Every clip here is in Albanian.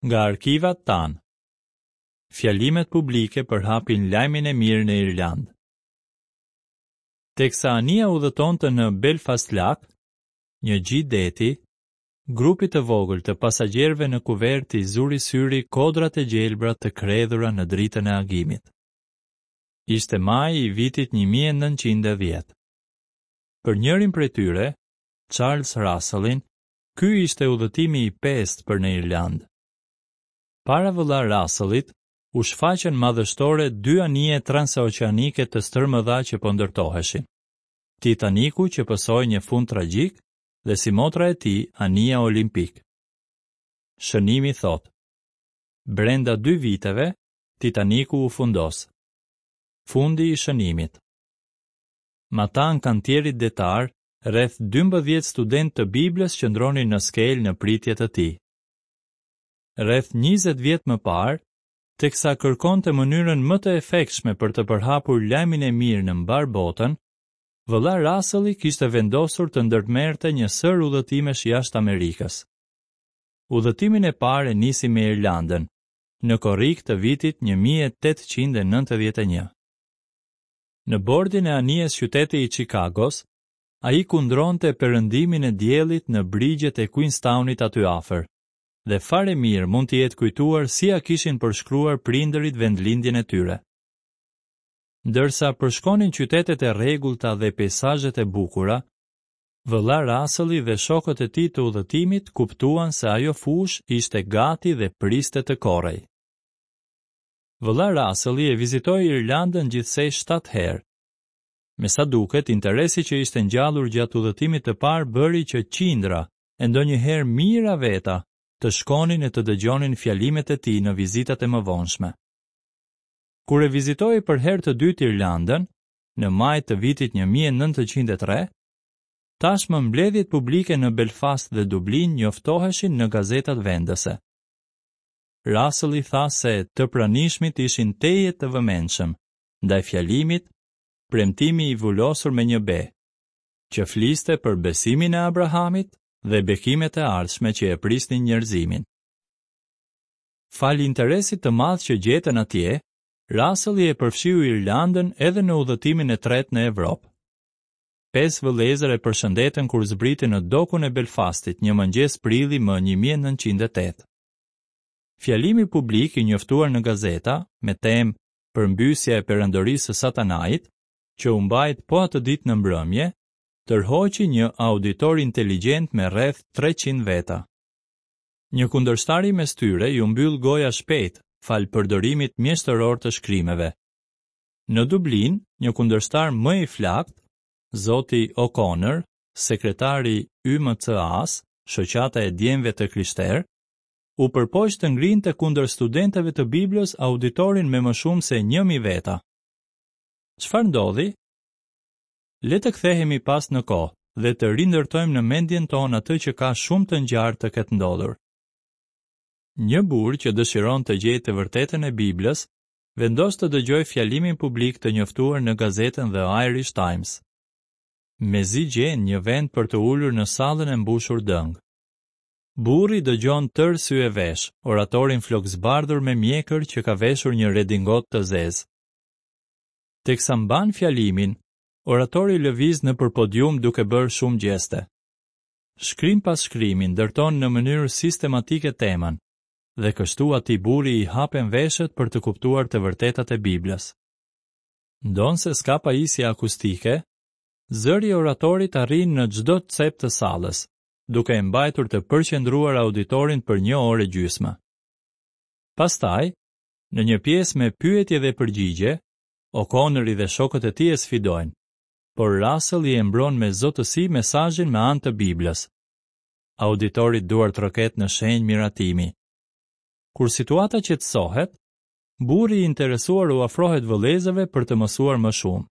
Nga arkivat tanë. Fjalimet publike përhapin lajmin e mirë në Irlandë. Teksa anija udhëtonte në Belfast Lough, një gji deti, grupit të vogël të pasagjerëve në kuvertë i zuri syri kodrat e gjelbra të kredhura në dritën e agimit. Ishte maji i vitit 1910. Për njërin prej tyre, Charles Russellin, Ky ishte udhëtimi i pestë për në Irlandë. Para vëlla Russell-it u shfaqën madhështore dy anije transoqeanike të stërmëdha që po ndërtoheshin. Titaniku që pësoi një fund tragjik dhe simotra e tij anija Olimpik. Shënimi thotë: Brenda dy viteve, Titaniku u fundos. Fundi i shënimit. Matanë kantierit detar, rreth 12 studentë të Biblës qëndronin në skelë në pritje të tij. Rreth 20 vjet më parë, teksa kërkonte mënyrën më të efektshme për të përhapur lajmin e mirë në mbarë botën, vëlla Russell-i kishte vendosur të ndërmerrte një sërë udhëtimesh jashtë Amerikës. Udhëtimin e parë e nisi me Irlandën, në korrik të vitit 1891. Në bordin e anijes Qyteti i Çikagos, ai kundronte perëndimin e diellit në brigjet e Queenstownit aty afër, dhe fare mirë mund t'i jetë kujtuar si ia kishin përshkruar prindërit vendlindjen e tyre. Ndërsa përshkonin qytetet e rregullta dhe peisazhet e bukura, vëlla Russell-i dhe shokët e tij të udhëtimit kuptuan se ajo fushë ishte gati dhe priste të korrej. Vëlla Russell-i e vizitoi Irlandën gjithsej 7 herë. Me sa duket, interesi që ishte ngjallur gjatë udhëtimit të parë bëri që qindra, e ndonjëherë mijëra veta, të shkonin e të dëgjonin fjalimet e tij në vizitat e mëvonshme. Kur e vizitoi për herë të dytë Irlandën, në maj të vitit 1903, tashmë mbledhjet publike në Belfast dhe Dublin njoftoheshin në gazetat vendëse. Russell-i tha se të pranishmit ishin tejet të vëmendshëm ndaj fjalimit Premtimi i vulosur me një be, që fliste për besimin e Abrahamit dhe bekimet e ardhshme që e prisnin njerëzimin. Falë interesit të madh që gjetën atje, Russell-i e përfshiu Irlandën edhe në udhëtimin e tretë në Evropë. Pesë vëllezër e përshëndetën kur zbriti në dokun e Belfastit një mëngjes prilli më 1908. Fjalimi publik i njoftuar në gazeta me temë Përmbysja e Perandorisë së Satanait, që u mbajt po atë ditë në mbrëmje, tërhoqi një auditor inteligjent me rreth 300 veta. Një kundërshtari mes tyre iu mbyll goja shpejt, falë përdorimit mjeshtëror të shkrimeve. Në Dublin, një kundërshtar më i flaktë, zoti O'Connor, sekretari i YMCA-s, Shoqata e Djemve të Krishterë, u përpoq të ngrinte kundër studentëve të Biblës auditorin me më shumë se 1000 veta. Çfarë ndodhi? Le të kthehemi pas në kohë dhe të rindërtojmë në mendjen tonë atë që ka shumë të ngjarë të ketë ndodhur. Një burrë që dëshiron të gjejë të vërtetën e Biblës, vendos të dëgjojë fjalimin publik të njoftuar në gazetën The Irish Times. Mezi gjen një vend për t'u ulur në sallën e mbushur dëng. Burri dëgjon tërë sy e veshë, oratorin flokëzbardhur me mjekër që ka veshur një redingotë të zezë. Teksa mban fjalimin, oratori lëviz nëpër podium duke bërë shumë gjeste. Shkrim pas shkrimi ndërton në mënyrë sistematike temën, dhe kështu atij burri i hapen veshët për të kuptuar të vërtetat e Biblës. Ndonëse s'ka pajisje akustike, zëri i oratorit arrin në çdo cep të sallës, duke e mbajtur të përqendruar auditorin për një orë e gjysmë. Pastaj, në një pjesë me pyetje dhe përgjigje, O'Connori dhe shokët e tij e sfidojnë, por Russell-i e mbron me zotësi mesazhin me anë të Biblës. Auditori duartroket në shenjë miratimi. Kur situata qetësohet, burri i interesuar u afrohet vëllezërve për të mësuar më shumë.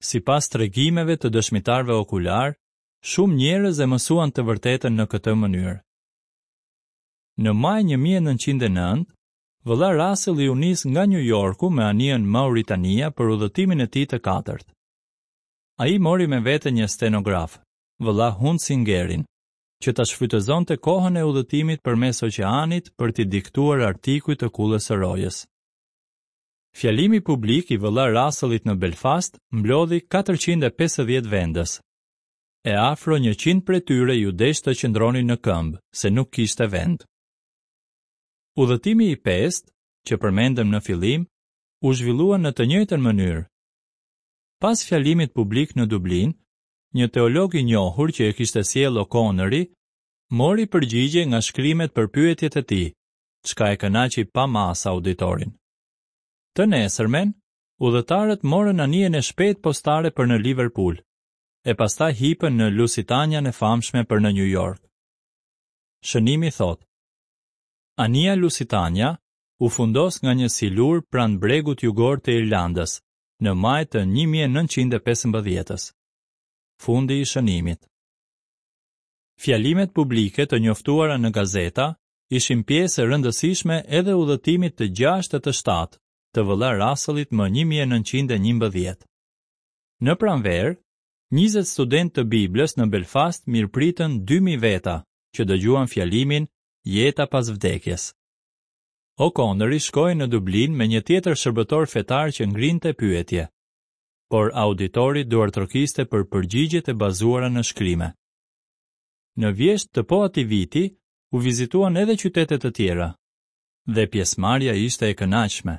Sipas tregimeve të dëshmitarëve okularë, Shumë njerëz e mësuan të vërtetën në këtë mënyrë. Në maj 1909, vëlla Russell-i u nis nga New Yorku me anijën Mauritania për udhëtimin e tij të katërt. Ai mori me vete një stenograf, vëlla Hunsingerin, që ta shfrytëzonte kohën e udhëtimit përmes oqeanit për t'i diktuar artikuj të kullës së rojës. Fjalimi publik i vëlla Russell-it në Belfast mblodhi 450 vendës. E afro 100 prej tyre iu desh të qëndronin në këmbë, se nuk kishte vend. Udhëtimi i pestë, që përmendëm në fillim, u zhvillua në të njëjtën mënyrë. Pas fjalimit publik në Dublin, një teolog i njohur që e kishte sjellë O'Connori, mori përgjigje nga shkrimet për pyetjet e tij, çka e kënaqi pa masë auditorin. Të nesërmen, udhëtarët morën anijen e shpejtë postare për në Liverpool, e pastaj hipën në Lusitanian e famshme për në New York. Shënimi thotë: Anija Lusitania u fundos nga një silur pranë bregut jugor të Irlandës, në maj të 1915-ës. Fundi i shënimit. Fjalimet publike të njoftuara në gazeta ishin pjesë e rëndësishme edhe udhëtimit të gjashtë e të shtatë të vëlla Russell-it më 1911. Në pranverë, 20 studentë të Biblës në Belfast mirëpritën 2000 veta që dëgjuan fjalimin Jeta pas vdekjes. O'Connori shkoi në Dublin me një tjetër shërbëtor fetar që ngrinte pyetje. Por auditori duartrokiste për përgjigjet e bazuara në shkrime. Në vjeshtë të po atij viti u vizituan edhe qytete të tjera dhe pjesëmarrja ishte e kënaqshme.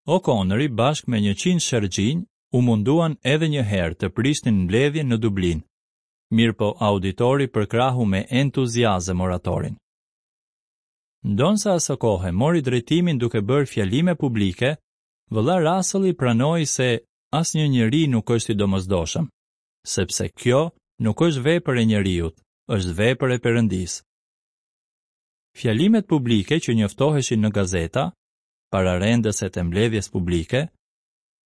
O'Connori bashkë me 100 sherrxhinj u munduan edhe një herë të prishnin mbledhjen në Dublin, mirëpo auditori përkrahu me entuziazëm oratorin. Ndonëse asokohe mori drejtimin duke bërë fjalime publike, vëlla Russell-i pranoi se asnjë njeri nuk është i domosdoshëm, sepse kjo nuk është vepër e njeriut, është vepër e Perëndisë. Fjalimet publike që njoftoheshin në gazeta, pararendëset e mbledhjes publike,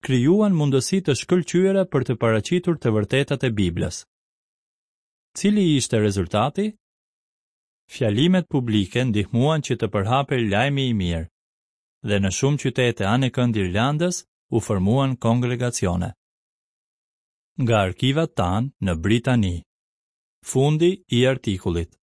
krijuan mundësi të shkëlqyera për të paraqitur të vërtetat e Biblës. Cili ishte rezultati? Fjalimet publike ndihmuan që të përhapej lajmi i mirë, dhe në shumë qytete anekënd Irlandës u formuan kongregacione. Nga arkivat tanë në Britani. Fundi i artikullit.